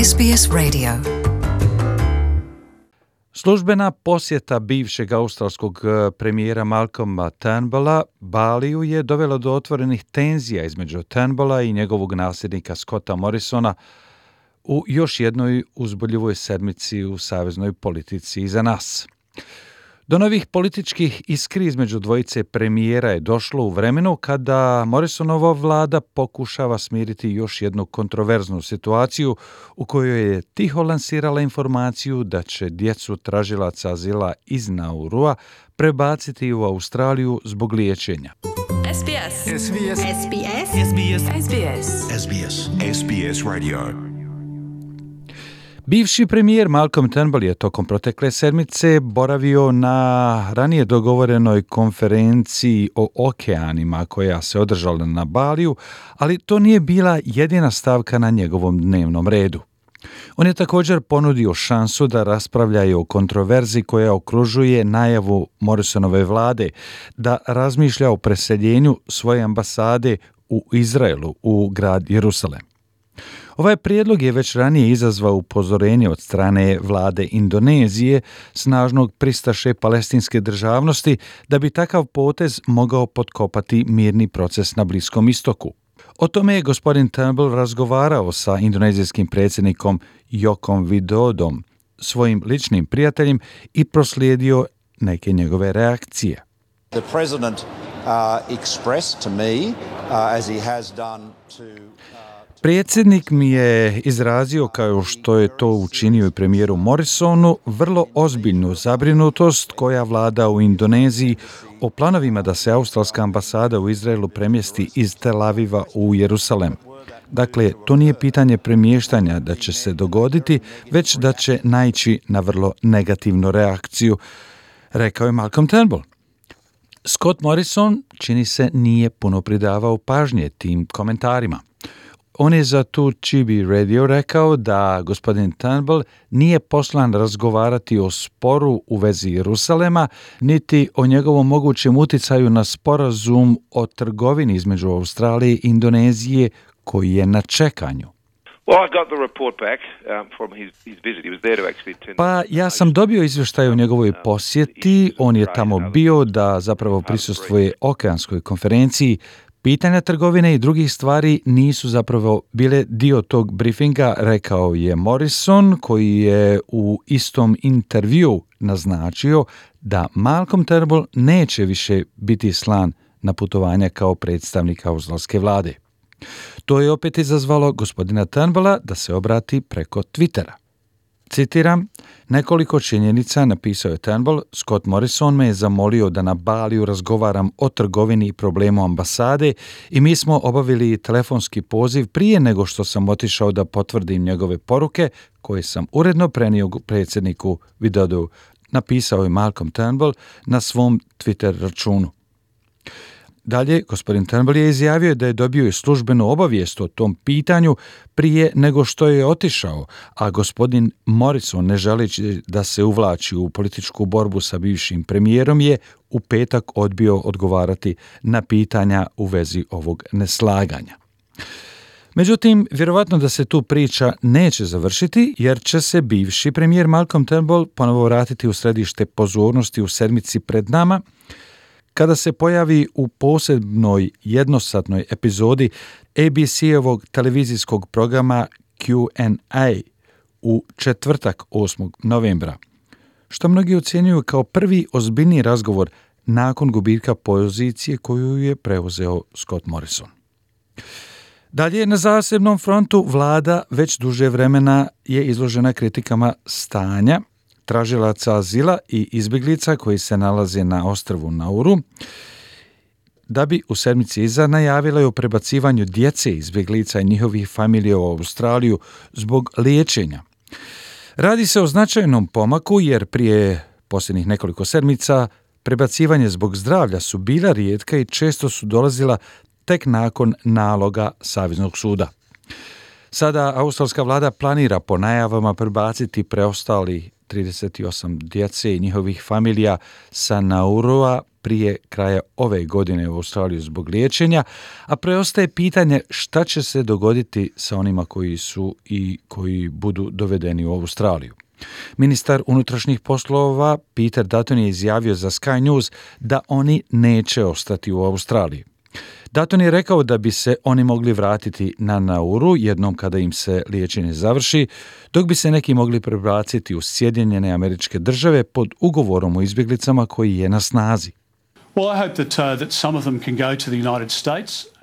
SBS Radio. Službena posjeta bivšeg australskog premijera Malcolma Turnbulla Baliju je dovela do otvorenih tenzija između Turnbulla i njegovog nasljednika Scotta Morrisona u još jednoj uzbuljivoj sedmici u saveznoj politici iza nas. Do novih političkih iskri između dvojice premijera je došlo u vremenu kada Morrisonova vlada pokušava smiriti još jednu kontroverznu situaciju u kojoj je tiho lansirala informaciju da će djecu tražilaca azila iz Naurua prebaciti u Australiju zbog liječenja. SBS. SBS. SBS. SBS. SBS. SBS. SBS Radio. Bivši premijer Malcolm Turnbull je tokom protekle sedmice boravio na ranije dogovorenoj konferenciji o okeanima koja se održala na Baliju, ali to nije bila jedina stavka na njegovom dnevnom redu. On je također ponudio šansu da raspravljaju o kontroverzi koja okružuje najavu Morrisonove vlade da razmišlja o preseljenju svoje ambasade u Izraelu u grad Jerusalem. Ovaj prijedlog je već ranije izazvao upozorenje od strane vlade Indonezije, snažnog pristaše palestinske državnosti, da bi takav potez mogao potkopati mirni proces na Bliskom istoku. O tome je gospodin Turnbull razgovarao sa indonezijskim predsjednikom Jokom Widodom, svojim ličnim prijateljem, i proslijedio neke njegove reakcije. The president expressed to me, as he has done to... Predsjednik mi je izrazio, kao što je to učinio i premijeru Morrisonu, vrlo ozbiljnu zabrinutost koja vlada u Indoneziji o planovima da se australska ambasada u Izraelu premjesti iz Tel Aviva u Jerusalem. Dakle, to nije pitanje premještanja da će se dogoditi, već da će naići na vrlo negativnu reakciju, rekao je Malcolm Turnbull. Scott Morrison, čini se, nije puno pridavao pažnje tim komentarima. On je za tu Chibi Radio rekao da gospodin Turnbull nije poslan razgovarati o sporu u vezi Jerusalema, niti o njegovom mogućem uticaju na sporazum o trgovini između Australije i Indonezije koji je na čekanju. Pa ja sam dobio izvještaj o njegovoj posjeti, on je tamo bio da zapravo prisustvuje okeanskoj konferenciji. Pitanja trgovine i drugih stvari nisu zapravo bile dio tog briefinga, rekao je Morrison, koji je u istom intervju naznačio da Malcolm Turnbull neće više biti slan na putovanja kao predstavnik australske vlade. To je opet izazvalo gospodina Turnbulla da se obrati preko Twittera. Citiram, nekoliko činjenica, napisao je Turnbull, Scott Morrison me je zamolio da na Baliju razgovaram o trgovini i problemu ambasade i mi smo obavili telefonski poziv prije nego što sam otišao da potvrdim njegove poruke koje sam uredno prenio predsjedniku Widodu, napisao je Malcolm Turnbull na svom Twitter računu. Dalje, gospodin Turnbull je izjavio da je dobio i službenu obavijest o tom pitanju prije nego što je otišao, a gospodin Morrison, ne želeći da se uvlači u političku borbu sa bivšim premijerom, je u petak odbio odgovarati na pitanja u vezi ovog neslaganja. Međutim, vjerovatno da se tu priča neće završiti, jer će se bivši premijer Malcolm Turnbull ponovo vratiti u središte pozornosti u sedmici pred nama, kada se pojavi u posebnoj jednosatnoj epizodi ABC-ovog televizijskog programa Q&A u četvrtak 8. novembra, što mnogi ocjenjuju kao prvi ozbiljni razgovor nakon gubitka pozicije koju je preuzeo Scott Morrison. Dalje, na zasebnom frontu vlada već duže vremena je izložena kritikama stanja tražilaca azila i izbjeglica koji se nalaze na ostrvu Nauru, da bi u sedmici iza najavila o prebacivanju djece izbjeglica i njihovih familija u Australiju zbog liječenja. Radi se o značajnom pomaku jer prije posljednjih nekoliko sedmica prebacivanje zbog zdravlja su bila rijetka i često su dolazila tek nakon naloga Saveznog suda. Sada australska vlada planira po najavama prebaciti preostali 38 djece i njihovih familija sa Naurua prije kraja ove godine u Australiju zbog liječenja, a preostaje pitanje šta će se dogoditi sa onima koji su i koji budu dovedeni u Australiju. Ministar unutrašnjih poslova Peter Dutton je izjavio za Sky News da oni neće ostati u Australiji. Dutton je rekao da bi se oni mogli vratiti na Nauru jednom kada im se liječenje završi, dok bi se neki mogli prebaciti u Sjedinjene Američke Države pod ugovorom o izbjeglicama koji je na snazi.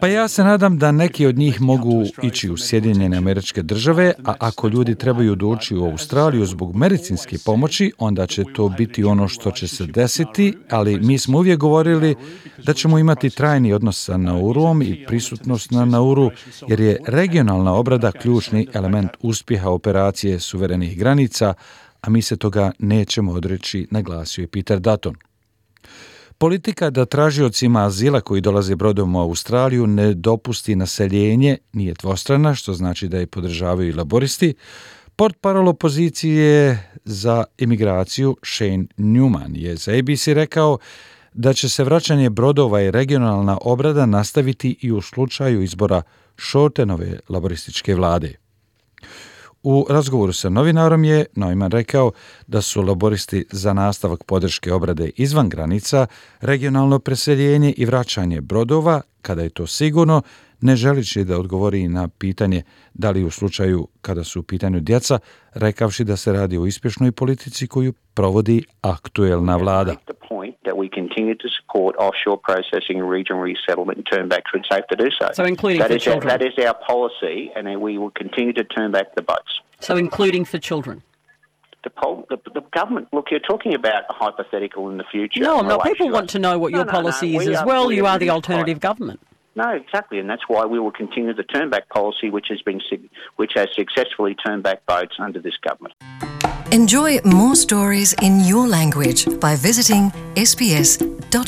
Pa ja se nadam da neki od njih mogu ići u Sjedinjene Američke Države, a ako ljudi trebaju doći u Australiju zbog medicinske pomoći, onda će to biti ono što će se desiti, ali mi smo uvijek govorili da ćemo imati trajni odnos sa Nauruom i prisutnost na Nauru, jer je regionalna obrada ključni element uspjeha operacije suverenih granica, a mi se toga nećemo odreći, naglasio je Peter Dutton. Politika da tražiocima azila koji dolaze brodom u Australiju ne dopusti naseljenje nije dvostrana, što znači da je podržavaju i laboristi. Portparol opozicije za imigraciju Shane Newman je za ABC rekao da će se vraćanje brodova i regionalna obrada nastaviti i u slučaju izbora Shortenove laborističke vlade. U razgovoru sa novinarom je Neumann rekao da su laboristi za nastavak podrške obrade izvan granica, regionalno preseljenje i vraćanje brodova, kada je to sigurno, ne želići da odgovori na pitanje da li u slučaju kada su u pitanju djeca, rekavši da se radi o uspješnoj politici koju provodi aktuelna vlada. That we continue to support offshore processing and regional resettlement and turn back troops safe to do so. So including for children? That is our policy, and we will continue to turn back the boats. So including for children? The government, look, you're talking about a hypothetical in the future. No, I'm not. People want to know what your policy is as well. You are the alternative government. No, exactly, and that's why we will continue the turn back policy, which has successfully turned back boats under this government. Enjoy more stories in your language by visiting sbs.com.au.